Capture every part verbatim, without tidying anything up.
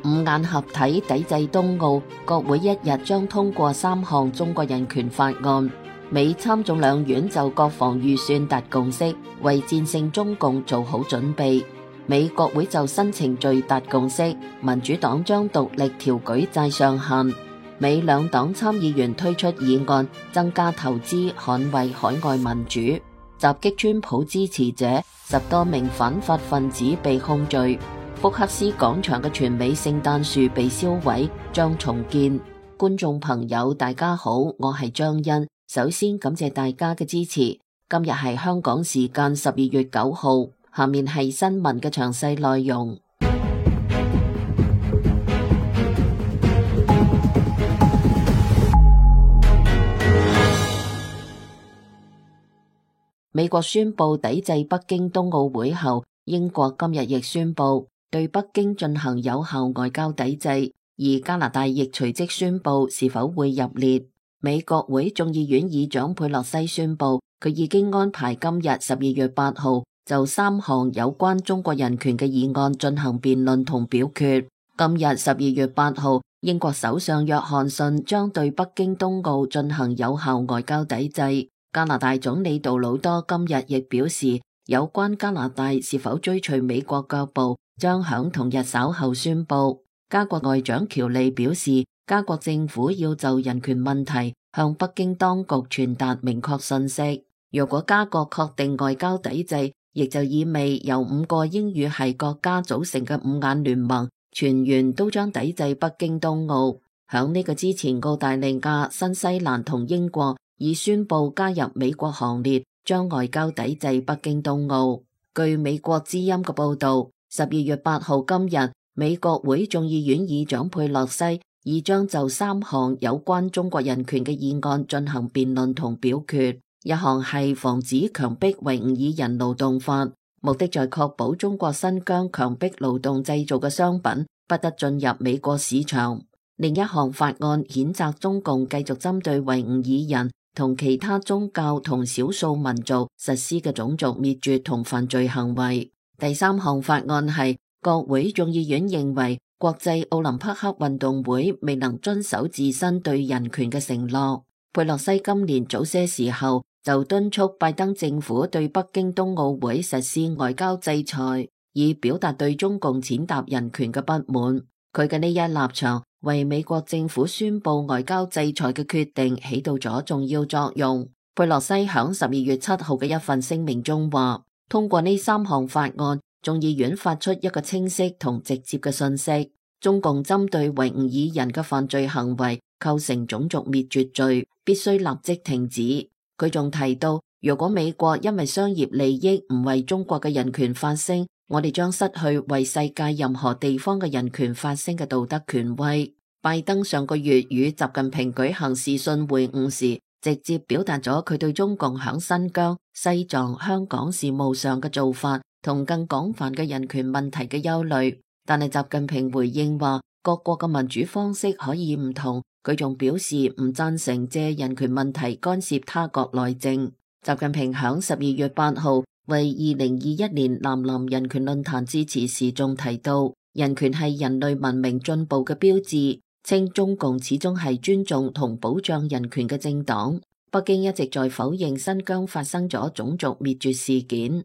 五眼合體抵制冬奧，國會一日將通過三項中國人權法案。美參眾兩院就國防預算達共識，為戰勝中共做好準備。美國會就新程序達共識，民主黨將獨立調舉債上限。美兩黨參議員推出議案，增加投資，捍衛海外民主。襲擊川普支持者，十多名反法分子被控罪。福克斯廣場嘅全美聖誕樹被燒毀，將重建。觀眾朋友大家好，我係張欣，首先感謝大家嘅支持。今日係香港時間十二月九號，下面係新聞嘅詳細內容。美國宣布抵制北京冬奧會後，英國今日亦宣布對北京進行有效外交抵制，而加拿大亦隨即宣布是否會入列。美國會眾議院議長佩洛西宣布，佢已經安排今日十二月八號就三項有關中國人權嘅議案進行辯論同表決。今日十二月八號，英國首相約翰遜將對北京冬奧進行有效外交抵制。加拿大總理杜魯多今日亦表示，有關加拿大是否追隨美國腳步，將響同日稍後宣布。加國外長喬利表示，加國政府要就人權問題向北京當局傳達明確信息。如果加國確定外交抵制，亦就意味由五個英語系國家組成嘅五眼聯盟全員都將抵制北京冬奧。響呢個之前，澳大利亞、新西蘭同英國已宣布加入美國行列，將外交抵制北京冬奧。據美國之音嘅報道，十二月八號今日，美國會眾議院議長佩洛西已將就三項有關中國人權嘅議案進行辯論同表決。一項係防止強迫維吾爾人勞動法，目的在確保中國新疆強迫勞動製造嘅商品不得進入美國市場。另一項法案譴責中共繼續針對維吾爾人同其他宗教同少數民族實施嘅種族滅絕同犯罪行為。第三項法案係國會眾議院認為國際奧林匹克運動會未能遵守自身對人權嘅承諾。佩洛西今年早些時候就敦促拜登政府對北京冬奧會實施外交制裁，以表達對中共踐踏人權嘅不滿。佢嘅呢一立場為美國政府宣布外交制裁嘅決定起到咗重要作用。佩洛西響十二月七號嘅一份聲明中話，通過呢三項法案，眾議院發出一個清晰同直接嘅信息：中共針對維吾爾人嘅犯罪行為構成種族滅絕罪，必須立即停止。佢仲提到，如果美國因為商業利益唔為中國嘅人權發聲，我哋將失去為世界任何地方嘅人權發聲嘅道德權威。拜登上個月與習近平舉行視訊會晤時，直接表達咗佢對中共響新疆、西藏、香港事務上嘅做法同更廣泛嘅人權問題嘅憂慮。但係習近平回應話，各國嘅民主方式可以唔同。佢仲表示唔贊成借人權問題干涉他國內政。習近平響十二月八號為二零二一年南南人權論壇致辭時仲提到，人權係人類文明進步嘅標誌，稱中共始終係尊重同保障人權嘅政黨。北京一直在否認新疆發生咗種族滅絕事件。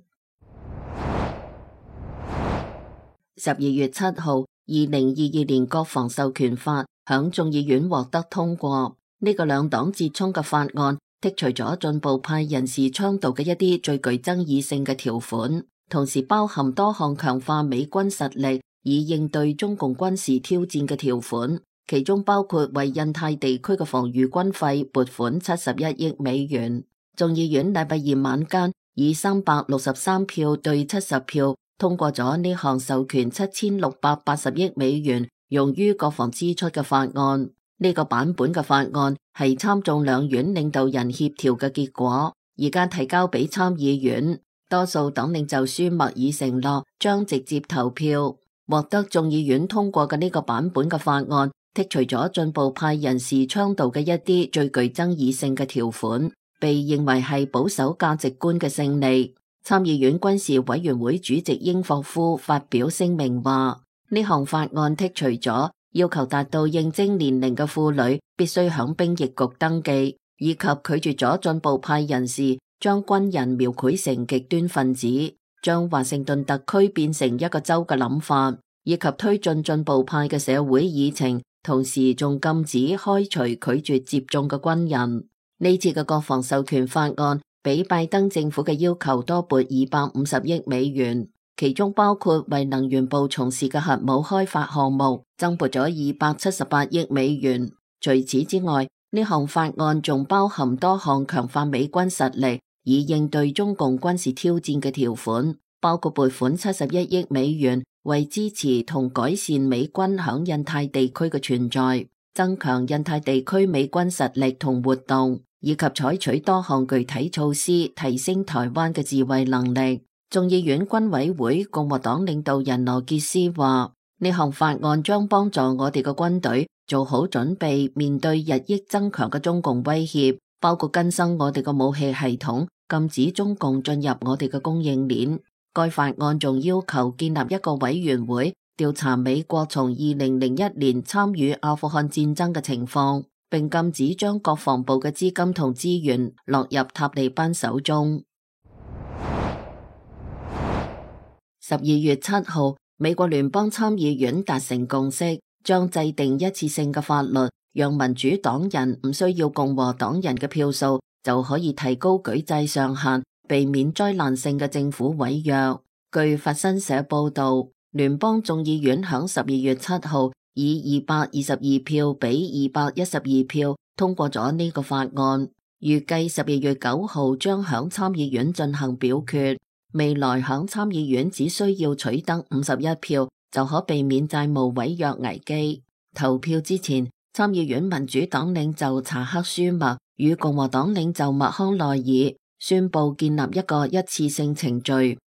十二月七號，二零二二年國防授權法響眾議院獲得通過。呢個兩黨折衝嘅法案剔除咗進步派人士倡導嘅一啲最具爭議性嘅條款，同時包含多項強化美軍實力以應對中共軍事挑戰嘅條款，其中包括為印太地區嘅防禦軍費撥款七十一億美元。眾議院禮拜二晚間以三百六十三票對七十票通過咗呢項授權七千六百八十億美元用於國防支出嘅法案。呢個版本嘅法案係參眾兩院領導人協調嘅結果，而家提交俾參議院，多數黨領袖舒默已承諾將直接投票。獲得眾議院通過嘅呢個版本嘅法案剔除咗進步派人士倡導嘅一啲最具爭議性嘅條款，被認為係保守價值觀嘅勝利。參議院軍事委員會主席英霍夫發表聲明話，呢項法案剔除咗要求達到應徵年齡嘅婦女必須響兵役局登記，以及拒絕咗進步派人士將軍人描繪成極端分子，將華盛頓特區變成一個州嘅諗法，以及推進進步派嘅社會議程，同時仲禁止開除拒絕接種嘅軍人。呢次嘅國防授權法案比拜登政府嘅要求多撥二百五十億美元，其中包括為能源部從事嘅核武開發項目增撥咗二百七十八億美元。除此之外，呢項法案仲包含多項強化美軍實力以應對中共軍事挑戰嘅條款，包括撥款七十一億美元為支持同改善美軍響印太地區嘅存在，增強印太地區美軍實力同活動，以及採取多項具體措施提升台灣嘅自衛能力。眾議院軍委會共和黨領導人羅傑斯話：呢項法案將幫助我哋嘅軍隊做好準備，面對日益增強嘅中共威脅，包括更新我哋嘅武器系統，禁止中共進入我哋嘅供應鏈。該法案仲要求建立一個委員會，調查美國從二零零一年參與阿富汗戰爭嘅情況，並禁止將國防部嘅資金同資源落入塔利班手中。十二月七號，美國聯邦參議院達成共識，將制定一次性嘅法律，讓民主黨人唔需要共和黨人嘅票數就可以提高舉債上限，避免災難性嘅政府違約。據法新社報道，聯邦眾議院響十二月七號以二百二十二票比二百一十二票通過咗呢個法案，預計十二月九號將響參議院進行表決。未來響參議院只需要取得五十一票就可避免債務違約危機。投票之前，參議院民主黨領袖查克舒默與共和黨領袖麥康奈爾宣布建立一個一次性程序，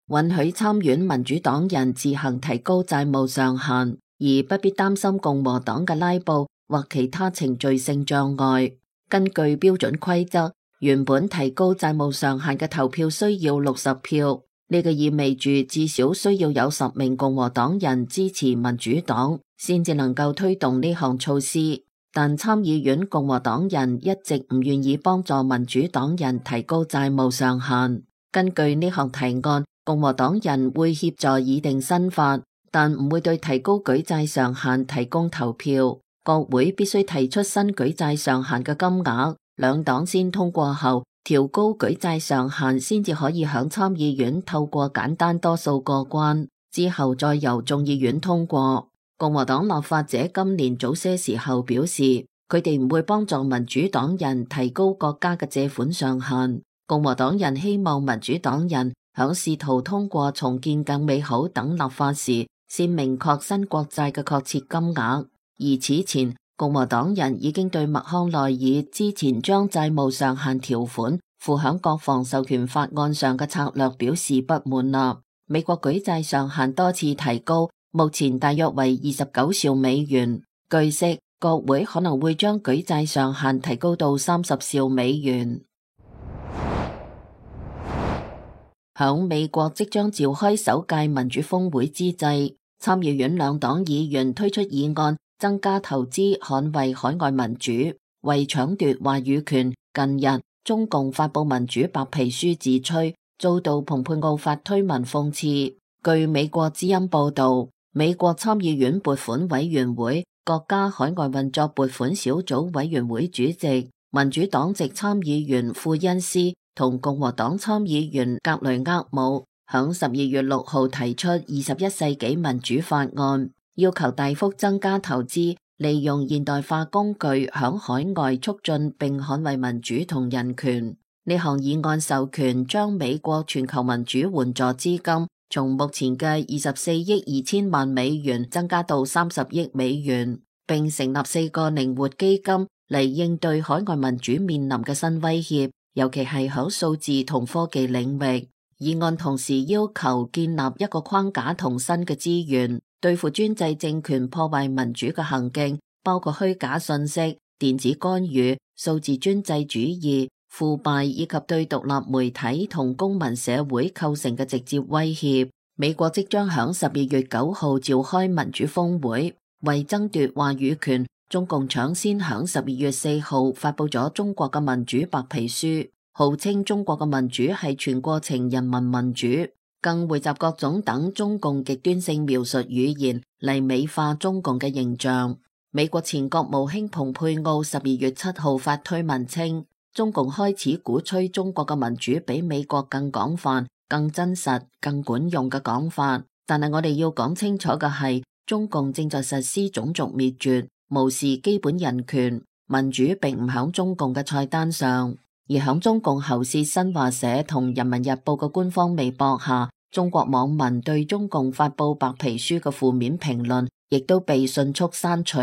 允許參院民主黨人自行提高債務上限，而不必擔心共和黨嘅拉布或其他程序性障礙。根據標準規則，原本提高債務上限嘅投票需要六十票，呢個意味住至少需要有十名共和黨人支持民主黨，先至能夠推動呢項措施。但參議院共和黨人一直唔願意幫助民主黨人提高債務上限。根據呢項提案，共和黨人會協助擬定新法，但唔會對提高舉債上限提供投票。國會必須提出新舉債上限嘅金額，兩黨先通過後，調高舉債上限先至可以響參議院透過簡單多數過關，之後再由眾議院通過。共和黨立法者今年早些時候表示，佢哋唔會幫助民主黨人提高國家嘅借款上限。共和黨人希望民主黨人響試圖通過重建更美好等立法時，先明確新國債嘅確切金額。而此前，共和黨人已經對麥康奈爾之前將債務上限條款附響國防授權法案上嘅策略表示不滿啦。美國舉債上限多次提高，目前大約為二十九兆美元。據悉，國會可能會將舉債上限提高到三十兆美元。響美國即將召開首屆民主峰會之際，參議院兩黨議員推出議案，增加投資捍衛海外民主，為搶奪話語權。近日，中共發布民主白皮書自吹，遭到蓬佩奧發推文諷刺。據美國之音報道，美國參議院撥款委員會國家海外運作撥款小組委員會主席、民主黨籍參議員庫恩斯同共和黨參議員格雷厄姆響十二月六號提出二十一世紀民主法案，要求大幅增加投資，利用現代化工具響海外促進並捍衛民主同人權。呢項議案授權將美國全球民主援助資金從目前嘅二十四億二千萬美元增加到三十億美元，並成立四個靈活基金嚟應對海外民主面臨嘅新威脅，尤其係響數字同科技領域。議案同時要求建立一個框架同新嘅資源，對付專制政權破壞民主嘅行徑，包括虛假信息、電子干預、數字專制主義、腐敗以及對獨立媒體同公民社會構成嘅直接威脅。美國即將響十二月九號召開民主峰會，為爭奪話語權，中共搶先響十二月四號發佈咗中國嘅民主白皮書，號稱中國嘅民主係全過程人民民主，更匯集各種等中共極端性描述語言嚟美化中共嘅形象。美國前國務卿蓬佩奧十二月七號發推文稱，中共開始鼓吹中國嘅民主比美國更廣泛、更真實、更管用嘅講法，但係我哋要講清楚嘅係，中共正在實施種族滅絕，無視基本人權，民主並唔響中共嘅菜單上。而響中共喉舌新華社同人民日報嘅官方微博下，中國網民對中共發佈白皮書嘅負面評論亦都被迅速刪除。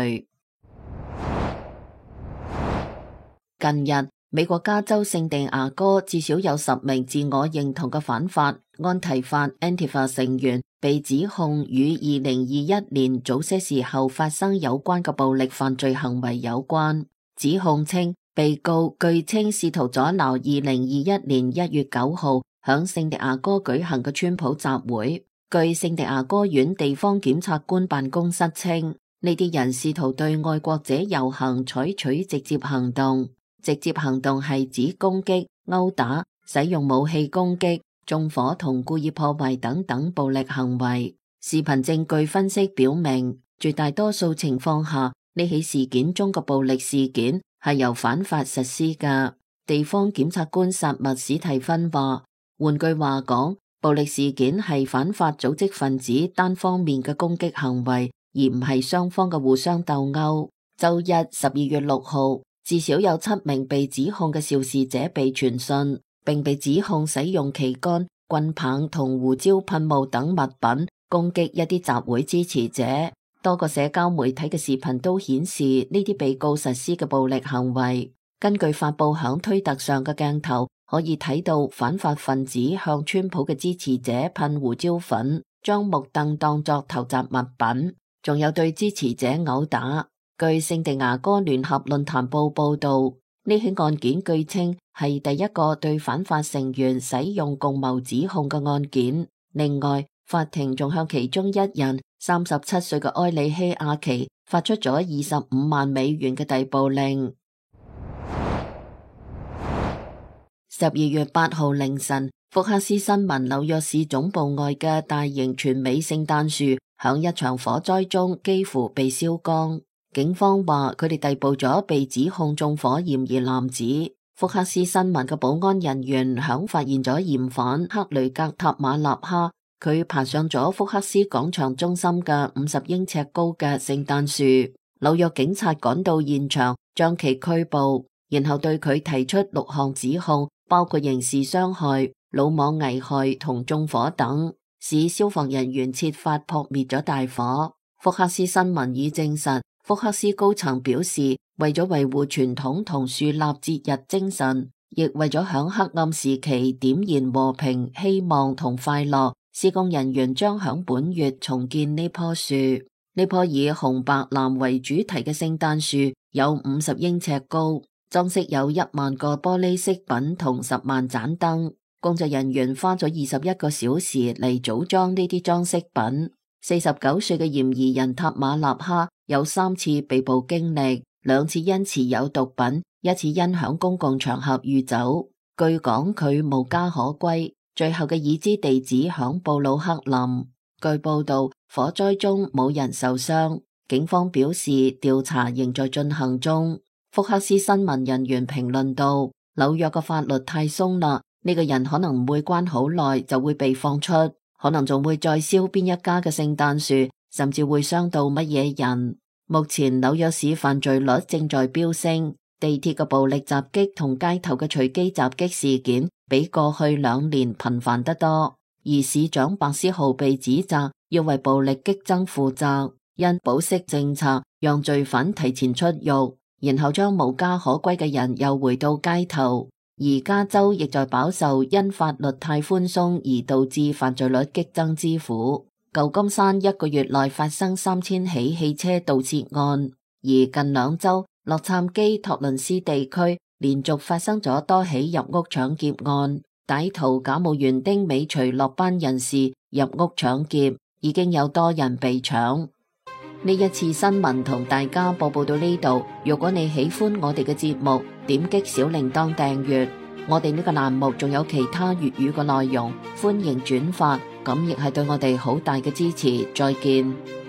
近日，美國加州聖地牙哥至少有十名自我認同嘅反法、安提法 （Antifa） 成員被指控與二零二一年早些時候發生有關嘅暴力犯罪行為有關。指控稱，被告據稱試圖阻撓二零二一年一月九號響聖地牙哥舉行嘅川普集會。據聖地牙哥縣地方檢察官辦公室稱，呢啲人試圖對愛國者遊行採取直接行動。直接行動係指攻擊、毆打、使用武器攻擊、縱火同故意破壞等等暴力行為。視頻證據分析表明，絕大多數情況下，呢起事件中嘅暴力事件係由反法實施嘅。地方檢察官薩默史提芬話，換句話講，暴力事件係反法組織分子單方面嘅攻擊行為，而唔係雙方嘅互相鬥毆。周一十二月六號，至少有七名被指控嘅肇事者被傳訊，並被指控使用旗杆、棍棒同胡椒噴霧等物品攻擊一啲集會支持者。多個社交媒體嘅視頻都顯示呢啲被告實施嘅暴力行為。根據發佈響推特上嘅鏡頭，可以睇到反法分子向川普嘅支持者噴胡椒粉，將木凳當作投擲物品，仲有對支持者毆打。據聖地牙哥聯合論壇報報道，呢起案件據稱係第一個對反法成員使用共謀指控嘅案件。另外，法庭仲向其中一人三十七歲嘅埃里希亞奇發出咗二十五萬美元嘅逮捕令。十二月八號凌晨，福克斯新聞紐約市總部外嘅大型全美聖誕樹響一場火災中幾乎被燒光。警方話佢哋逮捕咗被指控縱火嫌疑男子。福克斯新聞嘅保安人員響發現咗嫌犯克雷格塔馬納哈，佢爬上咗福克斯廣場中心嘅五十英尺高嘅聖誕樹。紐約警察趕到現場，將其拘捕，然後對佢提出六項指控，包括刑事傷害、魯莽危害同縱火等，使消防人員設法撲滅咗大火。福克斯新聞已證實，福克斯高層表示，為咗維護傳統同樹立節日精神，亦為咗響黑暗時期點燃和平、希望同快樂，施工人員將響本月重建呢棵樹。呢棵以紅白藍為主題嘅聖誕樹有五十英尺高，裝飾有一萬個玻璃飾品同十萬盞燈。工作人員花咗二十一個小時嚟組裝呢啲裝飾品。四十九歲嘅嫌疑人塔馬納哈有三次被捕經歷，兩次因持有毒品，一次因響公共場合酗酒。據講佢無家可歸，最後嘅已知地址響布魯克林。據報道，火災中冇人受傷。警方表示調查仍在進行中。福克斯新聞人員評論道：紐約嘅法律太鬆啦，呢個人可能唔會關好耐就會被放出。可能仲會再燒邊一家嘅聖誕樹，甚至會傷到乜嘢人。目前紐約市犯罪率正在飆升，地鐵嘅暴力襲擊同街頭嘅隨機襲擊事件比過去兩年頻繁得多。而市長白思豪被指責要為暴力激增負責，因保釋政策讓罪犯提前出獄，然後將無家可歸嘅人又回到街頭。而加州亦在飽受因法律太寬鬆而導致犯罪率激增之苦。舊金山一個月內發生三千起汽車盜竊案，而近兩周洛杉磯、托倫斯地區連續發生咗多起入屋搶劫案。歹徒假冒園丁尾隨落班人士入屋搶劫，已經有多人被搶。呢一次新聞同大家播報到呢度，如果你喜歡我哋嘅節目，點擊小鈴鐺訂閱。我哋呢個欄目仲有其他粵語嘅內容，歡迎轉發，咁亦係對我哋好大嘅支持。再見。